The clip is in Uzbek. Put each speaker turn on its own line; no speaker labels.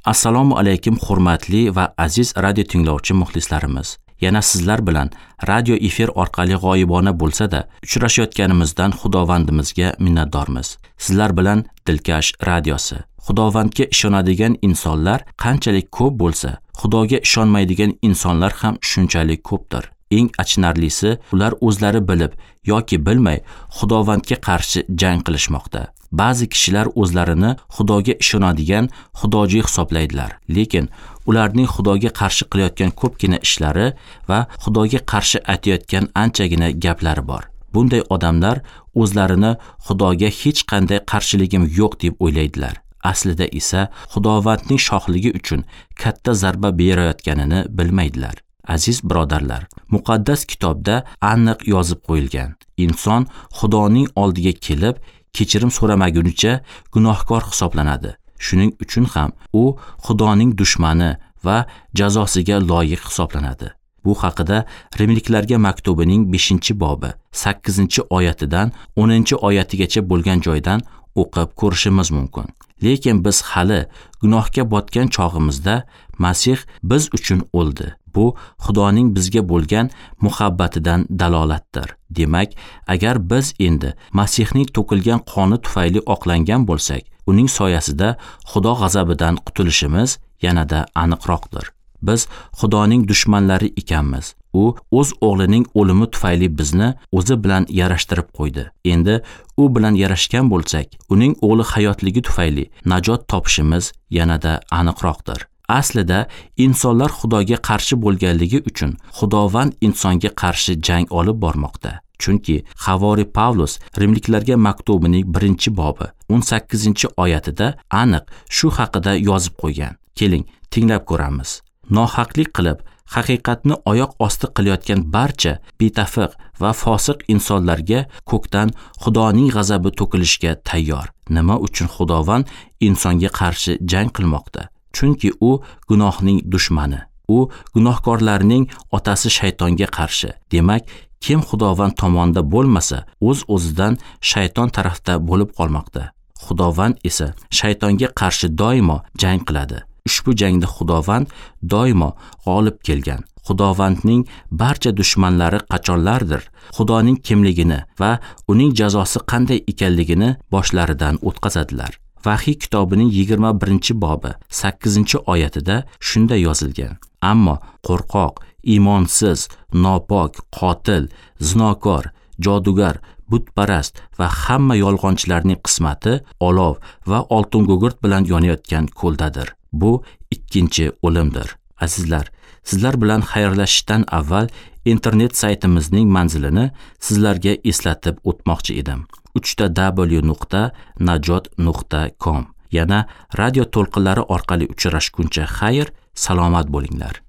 Assalomu alaykum, hurmatli va aziz radio tinglovchi muxlislarimiz. Yana sizlar bilan radio efir orqali g'oyibona bo'lsa-da uchrashayotganimizdan Xudovandimizga minnatdormiz. Sizlar bilan Dilkash radiosi. Xudovandga ishonadigan insonlar qanchalik ko'p bo'lsa, Xudoga ishonmaydigan insonlar ham shunchalik ko'pdir. Eng achinarlisi, ular o'zlari bilib yoki bilmay Xudovandga qarshi jang qilishmoqda. Ba'zi kishilar o'zlarini Xudoga ishonadigan xudojo'y hisoblaydilar, lekin ularning Xudoga qarshi qilayotgan ko'pgina ishlari va Xudoga qarshi aytayotgan anchagina gaplari bor. Bunday odamlar o'zlarini Xudoga hech qanday qarshiligim yo'q deb o'ylaydilar. Aslida esa Xudovandning shohligi uchun katta zarba berayotganini bilmaydilar. Aziz birodarlar, muqaddas kitobda aniq yozib qo'yilgan. Inson Xudoning oldiga kelib kechirim so'ramagunicha gunohkor hisoblanadi. Shuning uchun ham u Xudoning dushmani va jazosiga loyiq hisoblanadi. Bu haqida Rimliklarga maktubining 5-bobi 8-oyatidan 10-oyatigacha bo'lgan joydan o'qib ko'rishimiz mumkin. Lekin biz hali gunohga botgan chog'imizda Masih biz uchun o'ldi. Bu Xudoning bizga bo'lgan muhabbatidan dalolatdir. Demak, agar biz endi Masihning to'kilgan qoni tufayli oqlangan bo'lsak, uning soyasida Xudo g'azabidan qutulishimiz yanada aniqroqdir. Biz Xudoning dushmanlari ekanmiz. U o'z o'g'lining o'limi tufayli bizni o'zi bilan yarashtirib qo'ydi. Endi u bilan yarashgan bo'lsak, uning o'g'li hayotligi tufayli najot topishimiz yanada aniqroqdir. Aslida insonlar Xudoga qarshi bo'lganligi uchun Xudovand insonga qarshi jang olib bormoqda. Chunki Havori Pavlus Rimliklarga maktubining 1-bobi 18-oyatida aniq shu haqida yozib qo'ygan. Keling, tinglab ko'ramiz. Nohaqlik qilib, haqiqatni oyoq osti qilayotgan barcha betafiq va fosiq insonlarga ko'kdan Xudoning g'azabi to'kilishga tayyor. Nima uchun Xudovand insonga qarshi jang qilmoqda? Chunki u gunohning dushmani. U gunohkorlarning otasi shaytonga qarshi. Demak, kim Xudovand tomonda bo'lmasa, o'z-o'zidan shayton tarafda bo'lib qolmoqda. Xudovand esa shaytonga qarshi doimo jang qiladi. Ushbu jangda Xudovand doimo g'olib kelgan. Xudovandning barcha dushmanlari qachonlardir Xudoning kimligini va uning jazosi qanday ekanligini boshlaridan o'tkazadilar. Vahiy kitobining 21-bobi 8-oyatida shunday yozilgan: Ammo qo'rqoq, iymonsiz, nopok, qotil, zinokor, jodugar, butparast va hamma yolg'onchilarning qismati olov va oltingugurt bilan yonayotgan ko'ldadir. Bu ikkinchi o'limdir. Azizlar, sizlar bilan xayrlashishdan avval internet saytimizning manzilini sizlarga eslatib o'tmoqchi edim. www.najot.com. Yana radio to'lqinlari orqali uchrashguncha xayr, salomat bo'linglar.